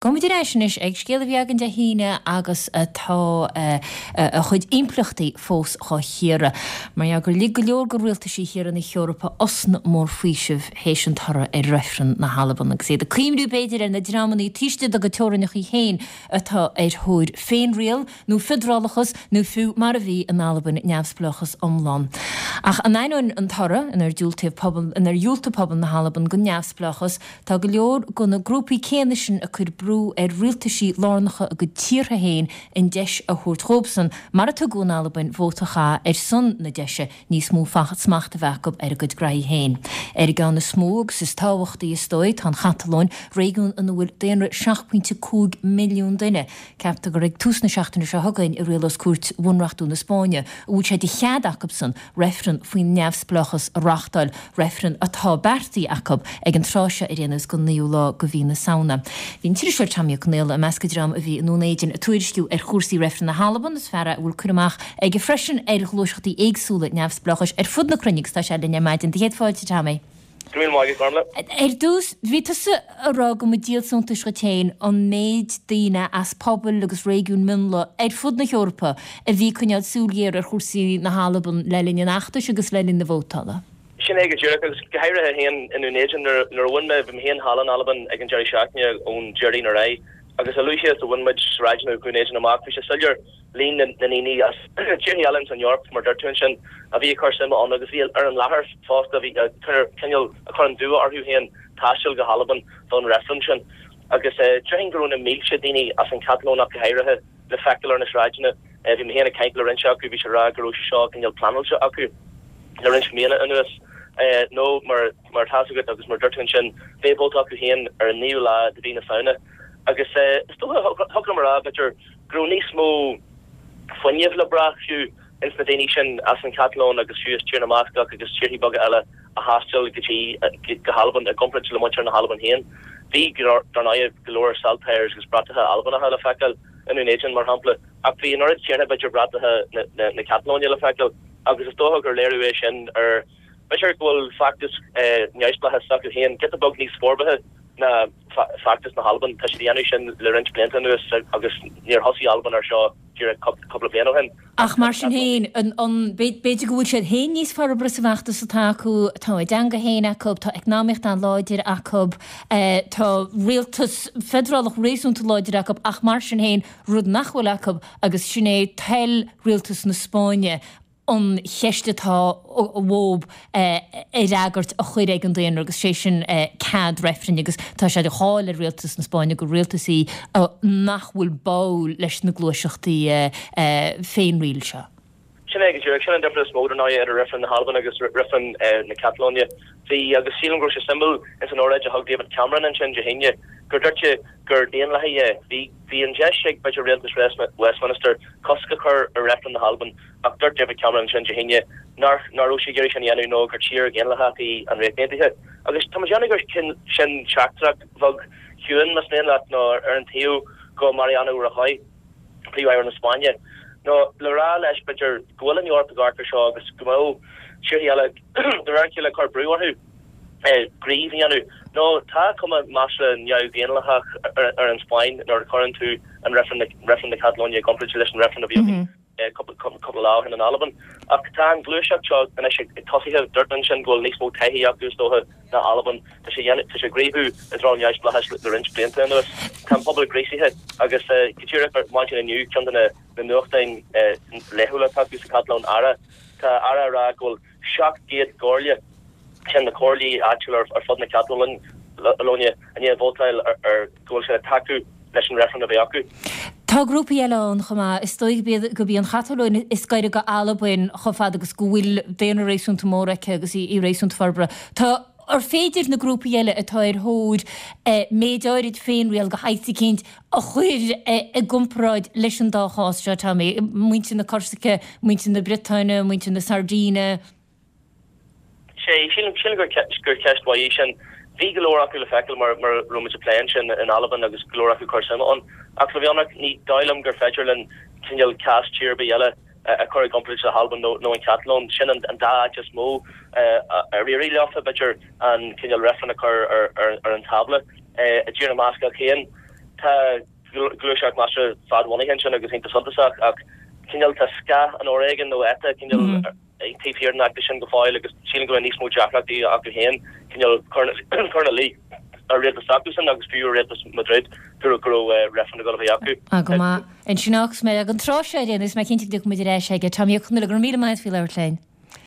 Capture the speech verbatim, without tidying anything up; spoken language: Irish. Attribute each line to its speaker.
Speaker 1: Gabhfaimid ar ais anois ag scéal a bhí againn Dé hAoine agus atá a chuid impleachtaí fós á chíoradh. Mar gheall gur lig go leor de rialtaisí thíortha na hEorpa osna mór faoisimh théis an toradh ar reifreann na hAlban agus iad ag cuimhniú b'fhéidir ar na dreamanna taobh istigh dá gcuid teorainneacha féin atá ar thóir féinriail nó feidearálachas nó fiú mar a bhí in Albain neamhspleáchas iomlán. Ach in ainneoin an toradh inar diúltaíodh pobal inar dhiúltaigh pobal na hAlban don neamhspleáchas, tá go leor de na grúpaí céanna sin ag cur brú ar rialtaisí lárnacha a gcuid tíortha féin an deis a thabhairt dhóibhsan, mar a tugadh in Albain, vóta a chaitheamh ar son na deise níos mó smacht a bheith acu ar a gcuid graithí féin. Ar an gceann is mó agus is tábhachtaí is dóigh, tá an Chatalóin, réigiún ina bhfuil daonra seacht pointe cúig milliún duine. Ceaptar gur ag tús na seachtaine seo chugainn a rialós Cúirt Bhunreachtúil na Spáinne an bhfuil sé de chead acusan reifreann faoin neamhspleáchas a reáchtáil, reifreann atá beartaithe acu ag an tráth seo ar aon nós don naoú lá de mhí na Samhna. Bhí an t-iriseoir Tommy Ó Conaola i measc an dream a bhí i nDún Éideann ag tuairisciú ar chúrsaí reifreann na hAlban. Is fear é a bhfuil cur amach aige freisin ar ghluaiseachtaí éagsúla neamhspleáchais ar fud na cruinne agus tá sé linn ar maidin. Do chéad fáilte, Tommy.
Speaker 2: Go raibh míle maith agat, Gormlaith.
Speaker 1: Ar dtús, bhí tusa ag rá go mba díol suntais dhuit féin an méid daoine as pobail agus réigiúin mionlaigh ar fud na hEorpa a bhí ag coinneáil súil ghéar ar chúrsaí na hAlban le linn an fheachtais agus le linn na vótála.
Speaker 2: Sin é go díreach, agus go háirithe féin i nDún Éideann nuair a bhain mé, bhí mé féin thall in Albain ag an deireadh seachtaine ón Déardaoin ar aghaidh agus a luaithe is a bhain muid sráideanna Dhún Éideann amach bhí sé soiléir líon na ndaoine as tíortha eile ins an Eoraip, mar dúirt tú ansin, a bhí ag cur suime ann agus bhí ar an láthair fosta, a bhí cineál ag cur an dua orthu féin taisteal go hAlbain don reifreann sin. Agus déarfainn go raibh na mílte daoine as an Chatalóin ach go háirithe le feiceáil ar na sráideanna. Bhí mé féin ag caint le roinnt acu, bhí siad ag rá go raibh sé seo cineál pleanáilte acu le roinnt míonna anuas. Nó mar mar atá fhios agat agus mar dúirt tú ansin, beidh vóta acu féin ar an naoú lá de mhí na Samhna. Agus is dócha, thiocfadh liom a rá, b'fhéidir, go raibh níos mó fuinnimh le brath fiú ins na daoine sin as an Chatalóin agus fiú as Tír na mBascach agus tíorthaí beaga eile a thaistil go dtí go hAlbain i gcomparáid le muintir na hAlban féin. Bhí, dar ndóigh, go leor saltires agus bratacha Albanacha le feiceáil i nDún Éideann, mar shampla, ach bhí an oiread céanna, b'fhéidir, bratacha na Catalóine le feiceáil agus is dócha gur léiriú é sin ar, b'fhéidir, go bhfuil feachtas neamhspleáchais s'acu féin giota beag níos forbartha ná feachtas na hAlban. Tá siad a dhéanamh sin le roinnt blianta anuas agus níor thosaigh Albain ar seo díreach cúpla bliain ó shin.
Speaker 1: Ach mar sin féin, b'fhéidir go bhfuil siad féin níos forbartha sa bhfeachtas atá acu, tá a dteanga féin acu, tá eacnamaíocht an-láidir acu, tá rialtas feidearálach réasúnta láidir acu ach mar sin féin, rud nach bhfuil acu agus sin é toil rialtas na Spáinne an cheist atá uathu a fhreagairt a chur ag an daonra agus sé sin cead reifrinn agus tá sé de cháil ar rialtas na Spáinne gur rialtas í nach bhfuil báúil leis na gluaiseachtaí féinriail seo.
Speaker 2: Sin é go díreach. Sin an difear is mó, dar ndóigh, idir reifreann na hAlban agus reifreann na Catalóine. Bhí, agus sílim go raibh sé suimiúil ins an óráid a thug David Cameron ansin Dé hAoine, gur dúirt sé gur daonlathaí é. Bhí, bhí an deis ag, b'fhéidir, rialtas Westminster cosc a chur ar reifreann na hAlban Ach dúirt David Cameron ansin Dé hAoine nach raibh sé ag iarraidh sin a dhéanamh nó gur tír dhaonlathach í an Ríocht Aontaithe. Agus tá mé ag déanamh gur sin teachtaireacht bheag chiúin, más mian leat, nó ar an taobh go Mariano Rajoy, Príomh-Aire na Spáinne, nó le rá leis, b'fhéidir, go bhfuil an Eoraip ag amharc ar seo agus go mbeadh tíortha eile de réir a chéile ag cur brú orthu gníomh a dhéanamh. Nó tá cuma measartha neamhdhaonlathach ar an Spáinn nuair a chuireann tú an reifreann na Catalóine i gcomparáid leis an reifreann a bhí againn. cúpla lá ó shin in Albain. Ach tá an ghluaiseacht seo anois ag tosaithe. Dúirt mé ansin go bhfuil níos mó taithí acu, is dócha, ná Albain. Tá sé tá sé ag gníomhú i dtreo an neamhspleáchais le roinnt blianta anuas. Tá an pobal gríosaithe agus go díreach ar maidin inniu, ceann de na nuachtáin laethúla atá acu sa Chatalóin, Ara, tá Ara ag rá go bhfuil seacht gcéad comhairle, sin na comhairlí áitiúla ar fud na Catalóine, i ndiaidh vótáil ar go bhfuil siad ag tacú leis an reifreann a bheith acu.
Speaker 1: Tá grúpaí eile ann chomh maith. Is dóigh gurb í an Chatalóin is gaire go Albain chomh fada agus go bhfuil daonra réasúnta mór aici agus í réasúnta forbartha. Tá, ar féidir na grúpaí eile atá ar thóir méid áirid féinriail de shaghas eicínt a chur i gcomparáid leis an dá chás seo, Tommy, muintir na Corsaice, muintir na Briotáine, muintir na Sairdíne?
Speaker 2: Sea, sílim gur ceist mhaith í sin. Bhí go leor acu le feiceáil mar a raibh muid ag plé ansin in Albain agus go leor acu ag cur suime ann. Ach le bheith ionraic, ní dóigh liom gur féidir linn cineál cás tír ar bith eile a chur i gcomparáid le hAlbain nó an Chatalóin. Sin an dá áit is mó ar éirigh leofa, b'fhéidir, an cineál reifreann a chur ar an tábla. I dTír na mBascach féin, Tá gluaiseacht measartha fadbhunaithe ansin agus iontach suntasach ach cineál tá scáth an fhoréigin nó ETA cineál mm -hmm. taobh thiar den fheachtas sin go fóill agus sílim go bhfuil níos mó deacrachtaí acu féin cineál cur ina luí ar rialtas acusan agus fiú rialtas Madrid go raibh go raibh reifreann ag dul a bheith acu.
Speaker 1: Ah, go maith. Ansin agus mé ag an tráth seo ar aon nós mé cinnte go dtiocfaidh muid ar ais aige. Tommy Ó Conghaile, go raibh míle maith faoi labhairt linn.